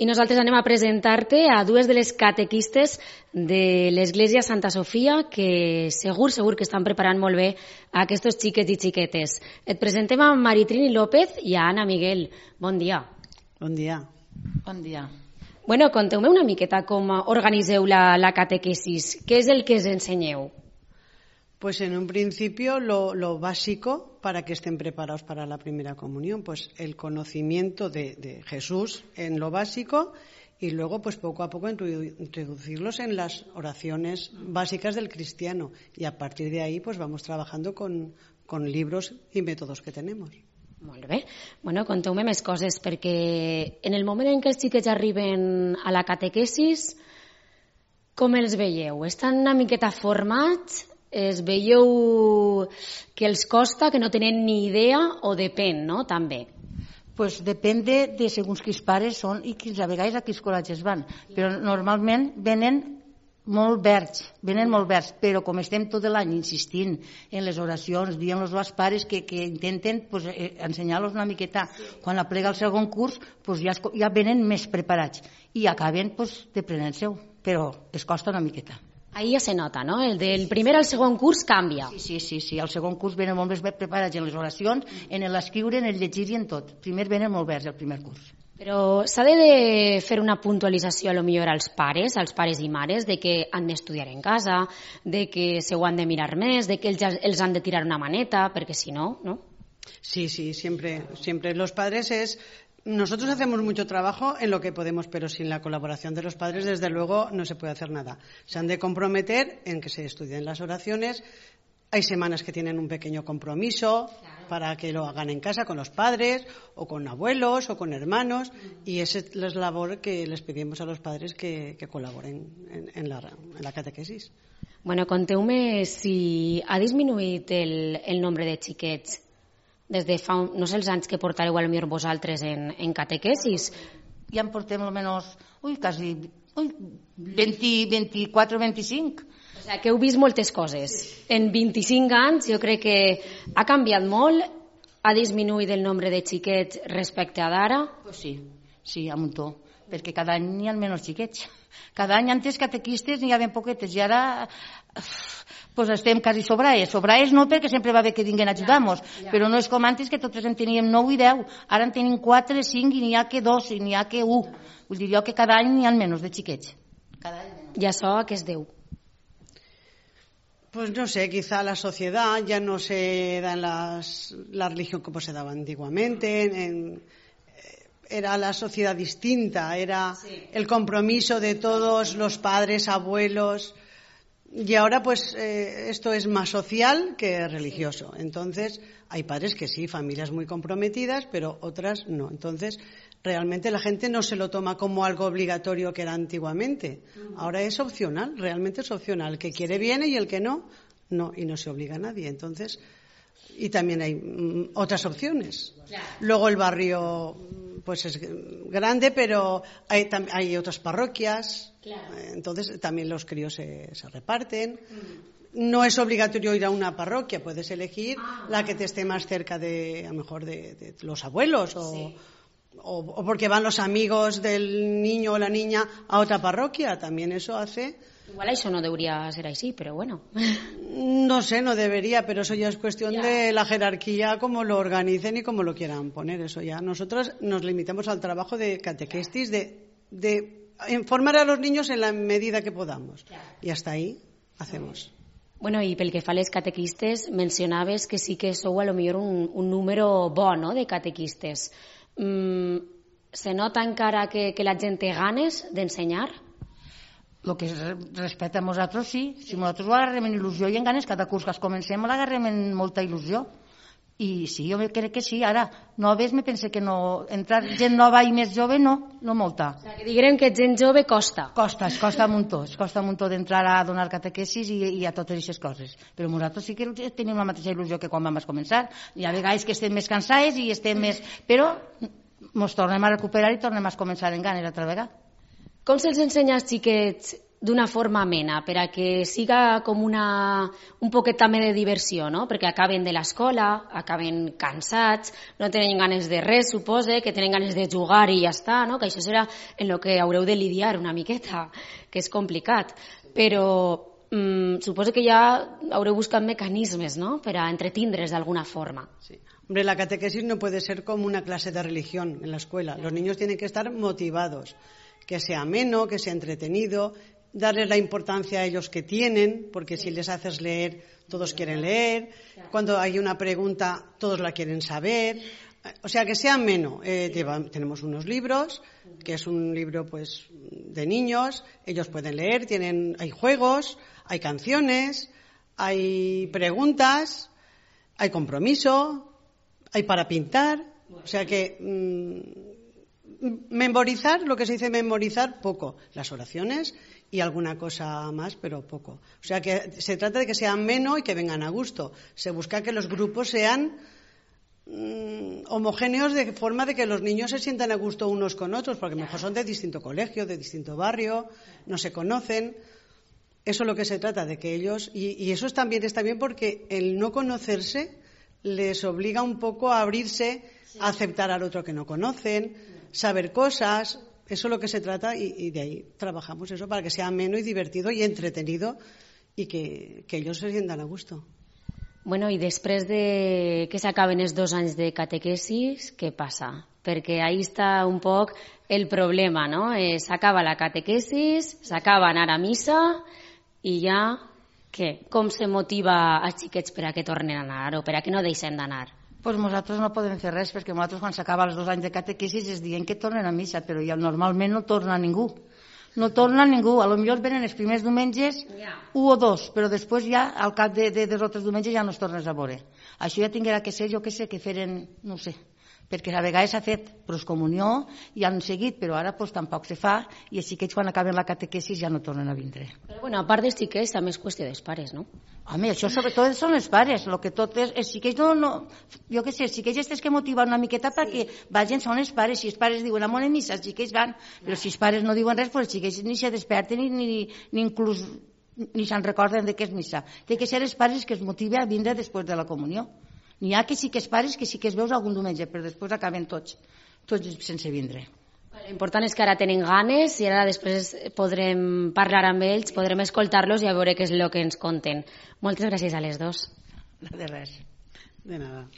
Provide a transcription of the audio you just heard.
I nosaltres anem a presentar-te a dues de les catequistes de l'Església Santa Sofia que segur que estan preparant molt bé a aquests xiquets i xiquetes. Et presentem a Maritrini López i a Anna Miguel. Bon dia. Bon dia. Bon dia. Bueno, conteu-me una miqueta com organiseu la catequesis. Què és el que ens ensenyeu? Pues en un principio lo básico para que estén preparados para la primera comunión, pues el conocimiento de Jesús en lo básico y luego pues poco a poco introducirlos en las oraciones básicas del cristiano y a partir de ahí pues vamos trabajando con libros y métodos que tenemos. Molt bé. Bueno, conteu-me més coses perquè en el moment en què els xiquets arriben a la catequesis, com els veieu? Estan una miqueta formats? Es veieu que els costa, que no tenen ni idea o depèn, no? També. Pues depèn de segons quins pares són i quins a vegades a quins col·legis van. Però normalment venen molt verds, però com estem tot l'any insistint en les oracions, dient-los als pares que intenten pues, ensenyar-los una miqueta. Quan aplega el segon curs pues, ja venen més preparats i acaben pues, deprenent-se-ho, però es costa una miqueta. Ahí ja se nota, no? El del primer al segon curs canvia. Sí. Al segon curs venen molt més preparats en les oracions, en l'escriure, en el llegir i en tot. Primer venen molt verds el primer curs. Però s'ha de fer una puntualització a lo millor als pares i mares, de que han d'estudiar en casa, de que se ho han de mirar més, de que els han de tirar una maneta, perquè si no, ¿no? Sí, siempre los padres es... Nosotros hacemos mucho trabajo en lo que podemos, pero sin la colaboración de los padres, desde luego, no se puede hacer nada. Se han de comprometer en que se estudien las oraciones. Hay semanas que tienen un pequeño compromiso para que lo hagan en casa con los padres, o con abuelos, o con hermanos, y esa es la labor que les pedimos a los padres que colaboren en la catequesis. Bueno, conteu-me si ha disminuït el nombre de xiquets des de fa, no sé els anys que portareu potser vosaltres en catequesis. Ja en portem almenys, quasi 24 o 25. O sigui que heu vist moltes coses. En 25 anys jo crec que ha canviat molt, ha disminuït el nombre de xiquets respecte a d'ara. Pues sí, a muntó, perquè cada any hi ha menys xiquets. Cada any antes catequistes n'hi havia poquetes i ara pues estem quasi sobraes no perquè sempre va bé que vinguen a ajudar-nos, però no és com antes que totes en teníem 9 i 10, ara en tenim 4, 5 i n'hi ha que 2 i n'hi ha que 1. Vull dir jo que cada any n'hi ha menys de xiquets. I això a què es deu? Pues no sé, quizá la sociedad ya no se da en la religión como se daba antiguamente, era la sociedad distinta, era el compromiso de todos los padres, abuelos, y ahora pues esto es más social que religioso. Entonces hay padres que sí, familias muy comprometidas, pero otras no. Entonces realmente la gente no se lo toma como algo obligatorio que era antiguamente. Ahora es opcional, realmente es opcional. El que quiere viene y el que no, no, y no se obliga a nadie. Entonces, y también hay otras opciones. Luego el barrio pues es grande, pero hay otras parroquias, entonces también los críos se reparten. No es obligatorio ir a una parroquia, puedes elegir la que te esté más cerca a lo mejor de los abuelos o porque van los amigos del niño o la niña a otra parroquia, también eso hace... Igual això no debería ser así, pero bueno. No sé, no debería, pero eso ya es cuestión de la jerarquía, cómo lo organicen y cómo lo quieran poner. Eso ya. Nosotros nos limitamos al trabajo de catequestis, de informar a los niños en la medida que podamos. Y hasta ahí hacemos. Bueno, i pel que fa a les catequistes, mencionaves que sí que sou a lo millor un número bo, no?, de catequistes. Se nota encara que la gent té ganes d'ensenyar? El que respecte a nosaltres, sí. Si nosaltres ho agarrem en il·lusió i en ganes, cada curs que es comencem l'agarrem en molta il·lusió. I sí, jo crec que sí. Ara, noves me pense que no... Entrar gent nova i més jove, no molta. O sigui, que diguem que gent jove costa. Es costa un muntó d'entrar a donar catequesis i a totes aquestes coses. Però nosaltres sí que tenim la mateixa il·lusió que quan vam començar. Hi ha vegades que estem més cansades i estem més... Però ens tornem a recuperar i tornem a començar en ganes altra vegada. Com se'ls ensenya als xiquets d'una forma amena, per a que siga com un poquet també de diversió, no? Perquè acaben de l'escola, acaben cansats, no tenen ganes de res, supose, que tenen ganes de jugar i ja està, no? Que això serà en el que haureu de lidiar una miqueta, que és complicat. Però suposo que ja haureu buscat mecanismes, ¿no?, per a entretindre's d'alguna forma. Sí. Hombre, la catequesis no puede ser como una clase de religión en la escuela. Los niños tienen que estar motivados, que sea ameno, que sea entretenido, darles la importancia a ellos que tienen, porque si les haces leer, todos quieren leer. Cuando hay una pregunta, todos la quieren saber. O sea, que sea ameno. Tenemos unos libros, que es un libro pues de niños, ellos pueden leer, hay juegos, hay canciones, hay preguntas, hay compromiso, hay para pintar. O sea que memorizar, lo que se dice memorizar, poco. Las oraciones y alguna cosa más, pero poco. O sea que se trata de que sea ameno y que vengan a gusto. Se busca que los grupos sean homogéneos, de forma de que los niños se sientan a gusto unos con otros, porque a lo mejor son de distinto colegio, de distinto barrio, no se conocen. Eso es lo que se trata, de que ellos, y eso está bien porque el no conocerse les obliga un poco a abrirse, a aceptar al otro que no conocen, saber cosas. Eso es lo que se trata, y de ahí trabajamos eso, para que sea ameno y divertido y entretenido, y que ellos se sientan a gusto. Bueno, i després de que s'acaben els 2 anys de catequesis, què passa? Perquè ahí està un poc el problema, no? S'acaba la catequesis, s'acaba anar a missa i ja, què? Com se motiva als xiquets per a que tornen a anar o per a que no deixen d'anar? Pues nosaltres no podem fer res, perquè nosaltres quan s'acaba els 2 anys de catequesis es diuen que tornen a missa, però ja normalment no torna ningú. No torna ningú, a lo millor venen els primers diumenges 1 o 2, però després ja al cap de 2 o 3 diumenges ja no es tornes a veure. Això ja tinguera que ser, jo que sé, que feren, no sé, perquè a vegades s'ha fet proscomunió i han seguit, però ara pues, tampoc se fa, i els xiquets quan acaben la catequesis ja no tornen a vindre. Però bueno, a part dels xiquets també és qüestió dels pares, no? Home, això sobretot són els pares, el que tot és, els xiquets no, jo què sé, els xiquets estes que motiven una miqueta perquè vagin són els pares, si els pares diuen amor en missa, els xiquets van, però si els pares no diuen res, pues els xiquets ni se desperten ni inclús ni se'n recorden de què és missa. Té que ser els pares que es motiven a vindre després de la comunió. N'hi ha que sí que els pares que sí que es veus algun diumenge, però després acaben tots sense vindre. L'important és que ara tenen ganes i ara després podrem parlar amb ells, podrem escoltar-los i a veure què és el que ens conten. Moltes gràcies a les dos. De res. De nada.